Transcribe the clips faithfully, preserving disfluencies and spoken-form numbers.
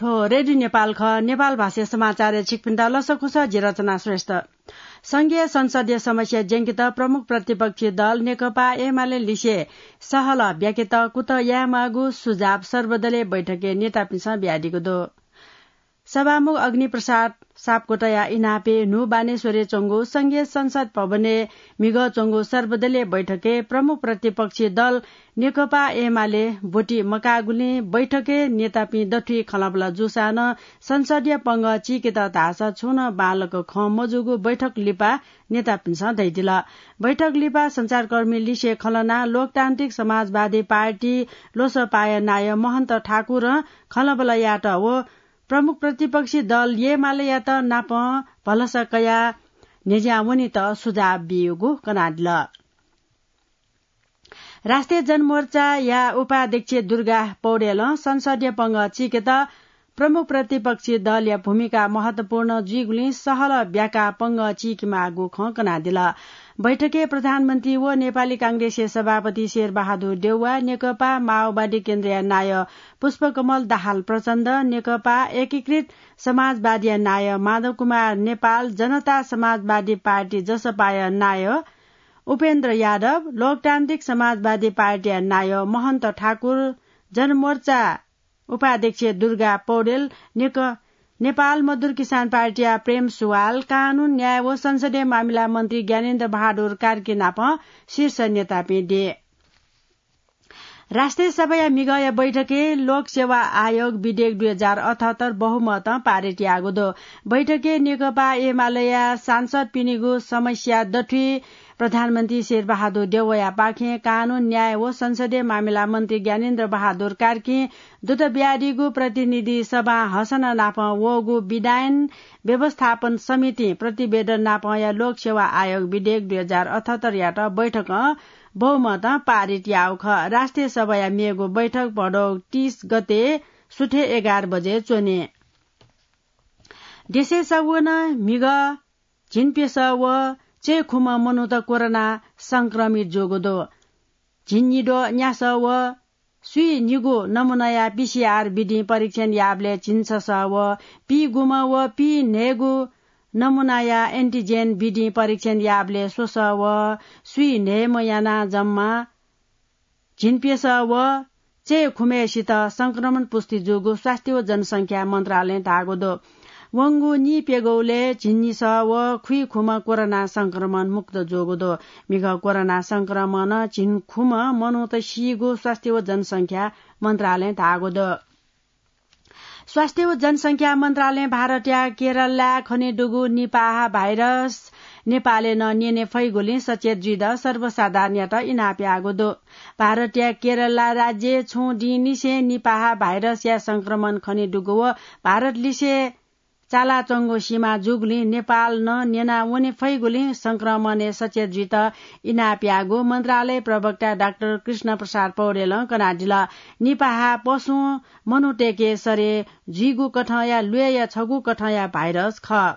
थ्व रेडियो नेपाल खः। नेपाल भाषा समाचारय् छिकपिन्त लसकुस, जि रचना श्रेष्ठ। संघीय संसदीय समस्या ज्यंकेत प्रमुख प्रतिपक्षी दल नेकपा एमाले लिसे सहलह ब्याकेत कुतः यायेमाःगु सुझाव सर्वदलीय बैठकय् नेतापिन्सं बियादीगु दु। सभामुख अग्निप्रसाद सापकोटाया इनापय् न्हू बानेश्वरय् च्वंगु संघीय संसद भवनय् म्हिगः च्वंगु सर्वदलीय बैठकय् प्रमुख प्रतिपक्षी दल नेकपा एमाले ब्वति मकाःगुलिं बैठकय् नेतापिं दथुइ खँल्हाबल्हा जूसां नं संसदीय पंगः चीकेत धाःसा छुं नं बांलाक खँ मजूगु बैठक लिपा नेतापिन्सं धयादिल। बैठक लिपा सञ्चारकर्मी लिसे खँल्हानाः लोकतान्त्रिक समाजवादी पार्टी लोसपाया नायः महन्त ठाकुरं खँल्हाबल्हा यायेत व प्रमुख प्रतिपक्षी दल एमालेयात नापं भलसा कयाः न्ह्यज्यां वनेत सुझाव बियागु कनादिल। राष्ट्रिय जनमोर्चाया उपाध्यक्ष दुर्गा पौडेलं संसदीय पंगः चीकेत प्रमुख प्रतिपक्षी दलया भूमिका महत्वपूर्ण जुइगुलिं सहलह ब्याकाः पंगः चीकेमाःगु खँ कनादिल। बैठकय् प्रधानमन्त्री व नेपाली कांग्रेसया सभापति शेरबहादुर देउवा, नेकपा माओवादी केन्द्रया नायः पुष्पकमल दाहाल प्रचण्ड, नेकपा एकीकृत समाजवादीया नायः माधव कुमार नेपाल, जनता समाजवादी पार्टी जसपाया नायः उपेन्द्र यादव, लोकतान्त्रिक समाजवादी पार्टीया नायः महन्त ठाकुर, जनमोर्चा उपाध्यक्ष दुर्गा पौडेल, नेक-, नेपाल मजदुर किसान पार्टीया प्रेम सुवाल, कानून, न्याय व संसदीय मामिला मन्त्री ज्ञानेन्द्र बहादुर कार्की नाप शीर्ष नेतापिं दे। राष्ट्रिय सभाया म्हिगःया बैठकय् लोक सेवा आयोग विधेयक दुई हजार अठहत्तर बहुमतं पारित याःगु दु। बैठकय् नेकपा एमालेया सांसदपिनिगु समस्या दथुइ प्रधानमन्त्री शेरबहादुर देउवायापाखें कानून, न्याय व संसदीय मामिला मन्त्री ज्ञानेन्द्र बहादुर कार्कीं दुत बियादीगु प्रतिनिधि सभां हसना नाप वःगु विधायन व्यवस्थापन समितिं प्रतिवेदन नापंया लोक सेवा आयोग विधेयक दुई हजार अठहत्तरयात बैठकं बहुमतं पारित याःगु खः। राष्ट्रिय सभाया मेगु बैठक भदौ तीस गते सुथय् एघार बजे च्वने। देशय् सवं नं म्हिगः, झिंप्यसः व चय्खुम्ह मनूत कोरोना संक्रमित जूगु दु। झिंनिद्वः न्यासः व स्वीनिगू नमूनाया पीसीआर विधिं परीक्षण याःबलय् झिंछसः व पीगुम्ह व पीन्हय्गू नमूनाया एन्टिजेन विधिं परीक्षण याःबलय् स्वसः व स्वीन्हय्म्ह यानाः जम्मा झिंप्यसः व चय्खुम्हय्सित संक्रमण पुष्टि जूगु स्वास्थ्य व जनसंख्या मन्त्रालयं धाःगु दु। वंगु नीप्यघौलय् झिंनिसः व खुइखुम्ह कोरोना संक्रमण मुक्त जूगु दु। म्हिगः कोरोना संक्रमणं झिंखुम्ह मनूत सीगु स्वास्थ्य व जनसंख्या मन्त्रालयं धाःगु दु। स्वास्थ्य व जनसंख्या मन्त्रालयं भारतया केरलय् खनेदुगु निपाह भाइरस नेपालय् नं न्यने फइगुलिं सचेत जुइत सर्वसाधारणयात इनाप याःगु दु। भारतया केरला राज्यय् छुं दिंनिसें निपाह भाइरसया संक्रमण खनेदुगु व भारतलिसे चालाच्वंगु सीमा जूगुलिं नेपालं न्यना वने फइगुलिं संक्रमणय् सचेत जुइत इनाप याःगु मन्त्रालय प्रवक्ता डाक्टर कृष्ण प्रसाद पौडेलं कनादिल। निपाह पशुं मनूतय्के सरे जुइगु कथंया ल्वय्या छगू कथंया भाइरस खः।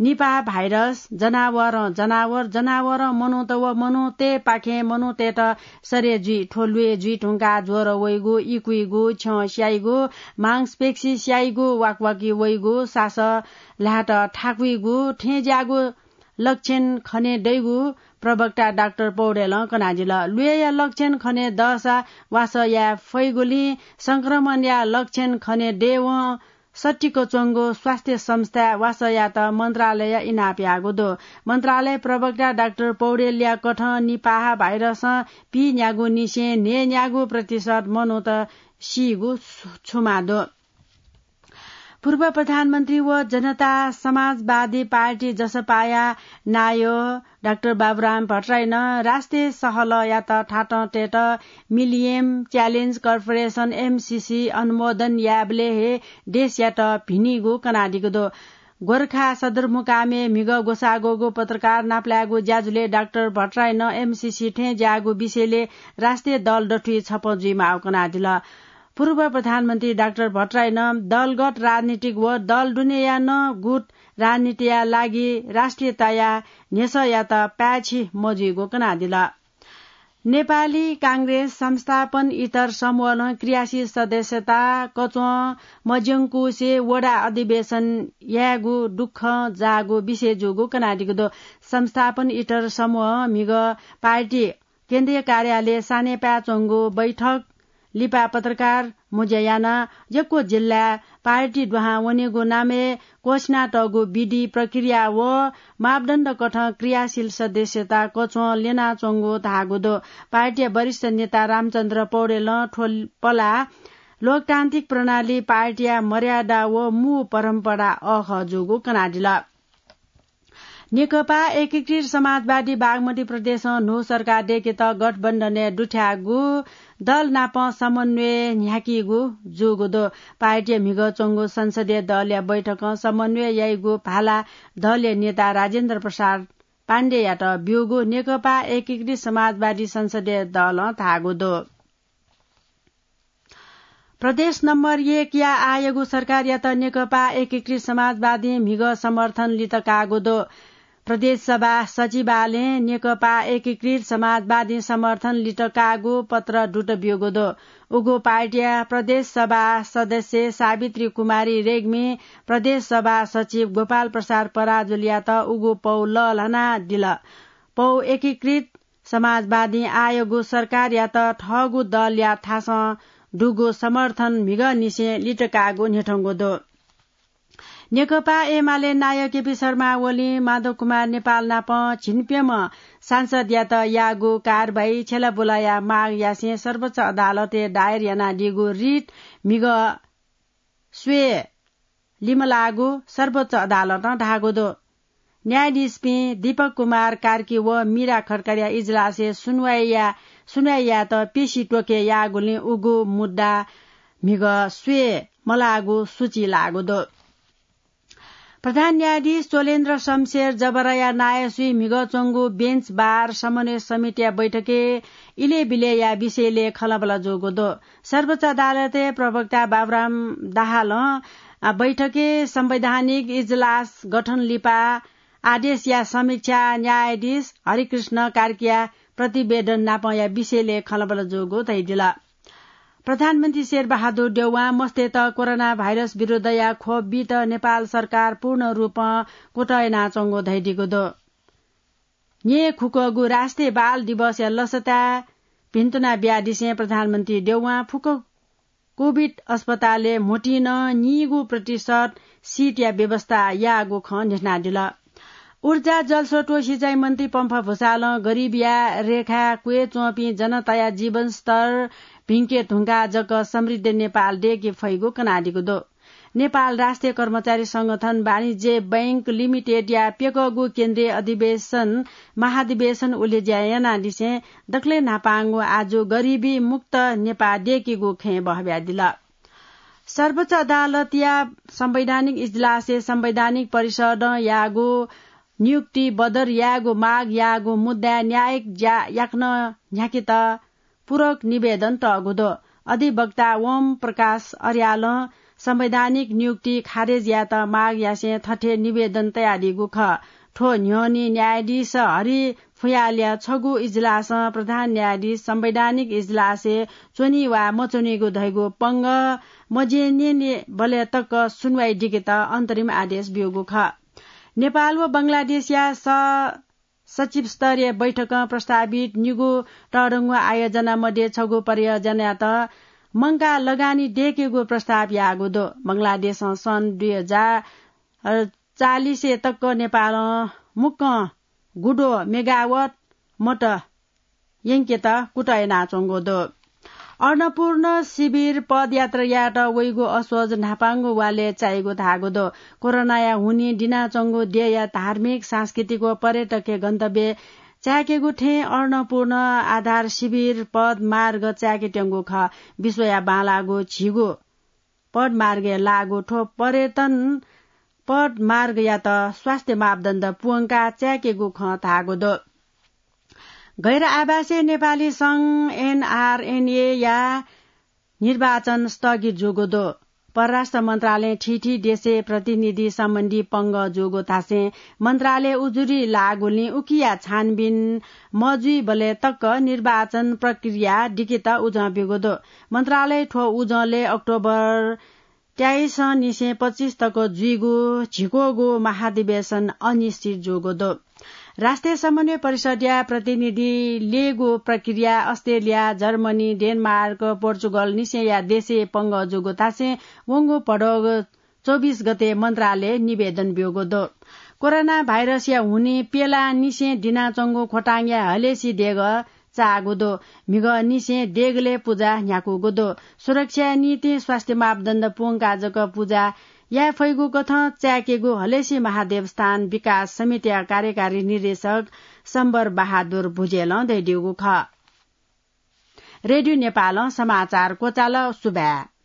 निपाह भाइरस जनावरं जनावर, जनावरं मनूत व मनूतय्पाखें मनूतय्त सरे जुइ। थ्व ल्वय् जुइ धुंकाः ज्वर वइगु, इकुइगु, छ्यं स्याइगु, मांसपेशी स्याइगु, वाकवाकी वइगु, सासः ल्हात थाकुइगु थें ज्याःगु लक्षण खने दइगु प्रवक्ता डाक्टर पौडेलं कनादिल। ल्वय्या लक्षण खने दःसा वासः याये फइगुलिं संक्रमणया लक्षण खने दयेवं सत्तिक च्वंगु स्वास्थ्य संस्थाय् वासः यायेत मन्त्रालयं इनाप याःगु दु। मन्त्रालय प्रवक्ता डाक्टर पौडेलया कथं निपाह भाइरसं पीन्यागू निसें न्हय्न्यागू प्रतिशत मनूत सीगु छु-, छुमा दु। पूर्व प्रधानमन्त्री व जनता समाजवादी पार्टी जसपाया नायः डाक्टर बाबुराम भट्टराईनं राष्ट्रिय सहलहयात थातं तयेत मिलिनियम च्यालेन्ज कर्पोरेसन, एमसिसी, अनुमोदन यायेबलय् हे देशयात भिनीगु कनादीगु दु। गोरखा सदरमुकामय् म्हिगः ग्वसाः ग्वःगु पत्रकार नापलायेगु ज्याझ्वलय् डाक्टर भट्टराईनं एमसिसी थें ज्याःगु विषयलय् राष्ट्रिय दल दथुइ छपँ जुइमाःगु कनादिल। पूर्व प्रधानमन्त्री डाक्टर भट्टराईनं दलगत राजनीतिक व दल दुनेया नं गुट राजनीतिया लागि राष्ट्रियताया न्ह्यसःयात पाय्छि मजुइगु कनादिल। नेपाली कांग्रेस संस्थापन इतर समूहं क्रियाशील सदस्यता कच्वं मज्यंकुसे वडा अधिवेशन यायेगु दुःख जाःगु विषय जूगु कनादीगु दु। संस्थापन इतर समूह म्हिगः पार्टी केन्द्रीय कार्यालय सानेपाय् च्वंगु बैठक लिपा पत्रकार मुज्या यानाः यक्व जिल्लाय् पार्टी दुहां वनेगु नामय् क्वसिनातःगु विधि प्रक्रिया व मापदण्ड कथं क्रियाशील सदस्यता कच्वं ल्यनाच्वंगु धाःगु दु। पार्टीया वरिष्ठ नेता रामचन्द्र पौडेलं थ्व पलाः लोकतान्त्रिक प्रणाली, पार्टीया मर्यादा व मू परम्परा अःखः जूगु कनादिल। नेकपा एकीकृत समाजवादी बागमती प्रदेशं न्हू सरकार दय्केत गठबन्धनय् दुथ्याःगु दल नाप समन्वय न्ह्याकीगु जूगु दु। पार्टीया म्हिगः च्वंगु संसदीय दलया बैठकं समन्वय याइगु भाला दलया नेता राजेन्द्र प्रसाद पाण्डेयात ब्यूगु नेकपा एकीकृत समाजवादी संसदीय दलं धाःगु दु। प्रदेश नम्बर एक या आःयागु सरकारयात नेकपा एकीकृत समाजवादीं म्हिगः समर्थन लित काःगु दु। प्रदेश सभा सचिवालयं नेकपा एकीकृत समाजवादीं समर्थन लित काःगु पत्र दुत ब्यूगु दु। उगु पार्टीया प्रदेश सभा सदस्य सावित्री कुमारी रेग्मी प्रदेश सभा सचिव गोपाल प्रसाद पराजुलीयात उगु पौ लःल्हानादिल। पौ एकीकृत समाजवादीं आःयागु सरकारयात थःगु दलया थासं दुगु समर्थन म्हिगःनिसें लित काःगु न्ह्यथंगु दु। नेकपा एमाले नायः केपी शर्मा ओलीं माधव कुमार नेपाल नाप झिंप्यम्ह सांसदयात याःगु कारवाही छ्यलाबुलाया माग यासें सर्वोच्च अदालतय् दायर यानादीगु रिट म्हिगः स्वये लिमलाःगु सर्वोच्च अदालतं धाःगु दु। न्यायाधीशपिं दीपक कुमार कार्की व मीरा खड्काया इजलासय् सुनुवाइया, सुनुवाइयात पेशी त्वके याःगुलिं उगु मुद्दा म्हिगः स्वये मलाःगु सूची लाःगु दु। प्रधान न्यायाधीश चोलेन्द्र शमशेर जबराया नायःसुइ म्हिगः च्वंगु बेन्च बार समन्वय समितिया बैठकय् इलय् बिलय्‌या विषयलय् खँल्हाबल्हा जूगु दु। सर्वोच्च अदालतय् प्रवक्ता बाबुराम दाहालं, अ, बैठकय् संवैधानिक इजलास गठन लिपा आदेशया समीक्षा न्यायाधीश हरिकृष्ण कार्कीया प्रतिवेदन नापंया विषयलय् खँल्हाबल्हा जूगु धयादिल। प्रधानमन्त्री शेरबहादुर देउवां मस्तय्‌त कोरोना भाइरस विरुद्धया खोप बीत नेपाल सरकार पूर्ण रूपं कुतः यानाच्वंगु धयादीगु दु। न्येखुकःगु राष्ट्रिय बाल दिवसया लसताय् भिन्तुना बियादिसें प्रधानमन्त्री देउवां फुक्क कोभिड अस्पतालय् म्होतिं नं नीगू प्रतिशत सिटया व्यवस्था याःगु खँ न्ह्यथनादिल। ऊर्जा, जलस्रोत व सिँचाइ मन्त्री पम्फा भुसालं गरिबीया रेखाय् क्वय् च्वंपिं जनताया जीवनस्तर भिंके धुंकाः जक समृद्ध नेपाल दय्के फइगु कनादीगु दु। नेपाल राष्ट्रिय कर्मचारी संगठन वाणिज्य बैंक लिमिटेडया प्यकःगु केन्द्रीय अधिवेशन, महाधिवेशन उलेज्या यानादिसें दकलय् न्हापांगु आजु गरिबी मुक्त नेपाः दय्केगु खँय् बहब्यादिल। सर्वोच्च अदालतया संवैधानिक इजलासय् संवैधानिक परिषदं याःगु नियुक्ति बदर यायेगु माग याःगु मुद्दाय् न्यायिक ज्या याकनं न्ह्याकेत पूरक निवेदन तःगु दु। अधिवक्ता ओम प्रकाश अर्यालं संवैधानिक नियुक्ति खारेज यायेत माग यासें थथे निवेदन तयादीगु खः। थ्व न्ह्यःने न्यायाधीश हरि फुयालया छगू इजलासं प्रधान न्यायाधीश संवैधानिक इजलासय् च्वनी वा मच्वनीगु धइगु पंगः मज्यनेबलय् तक सुनुवाइ दिकेत अन्तरिम आदेश ब्यूगु खः। नेपाल व बंगलादेशया स सचिव स्तरीय बैठकं प्रस्तावित निगू तःधंगु आयोजना मध्ये छगू परियोजनायात मंकाः लगानी दय्केगु प्रस्ताव याःगु दु। बंगलादेशं सन् दुई हजार चालिस तक नेपालं मुक्कं गुद्वः मेगावाट मत यंकेत कुतः यानाच्वंगु दु। अन्नपूर्ण शिविर पदयात्रा यायेत वइगु असोज न्हापांगु वालय् चाइगु धाःगु दु। कोरोनाया हुनिं दिनाच्वंगु देय्‌या धार्मिक, सांस्कृतिक व पर्यटकीय गन्तव्य चाय्‌केगु थें अन्नपूर्ण आधार शिविर पदमार्ग चाय्‌केत्यंगु खः। विश्वया बांलाःगु झिगू पदमार्गय् लाःगु थ्व पर्यटन पदमार्गयात स्वास्थ्य मापदण्ड पूवंकाः चाय्‌केगु खँ धाःगु दु। गैर आवासीय नेपाली संघ, एनआरएनए या निर्वाचन स्थगित जूगु दु। परराष्ट्र मन्त्रालयं थीथी देशय् प्रतिनिधि सम्बन्धी पंगः जूगु धासें मन्त्रालय उजुरी लाःगुलिं उकिया छानबिन मजुइबलय् तक निर्वाचन प्रक्रिया दिकेत उजं ब्यूगु दु। मन्त्रालय थ्व उजंलय् अक्टोबर तेइस निसें पच्चिस तक जुइगु झिक्वःगु महाधिवेशन अनिश्चित जूगु दु। राष्ट्रिय समन्वय परिषदया प्रतिनिधि ल्ययेगु प्रक्रिया अस्ट्रेलिया, जर्मनी, डेनमार्क, पोर्चुगल निसेंया देशय् पंगः जूगु धासें वंगु भदौ चौबिस गते मन्त्रालय निवेदन ब्यूगु दु। कोरोना भाइरसया हुनिं प्यलाः निसें दिनाच्वंगु ख्वथांया हलेसी देगः चाःगु दु। म्हिगः निसें देगलय् पुजा न्ह्याकूगु दु। सुरक्षाया निंतिं स्वास्थ्य मापदण्ड पूवंकाः जक पुजा याये फइगु कथं चाय्केगु हलेसी महादेवस्थान विकास समितिया कार्यकारी निर्देशक शम्बर बहादुर भुजेलं धयादीगु खः। रेडियो नेपालं समाचार क्वचाल। सुभाय्।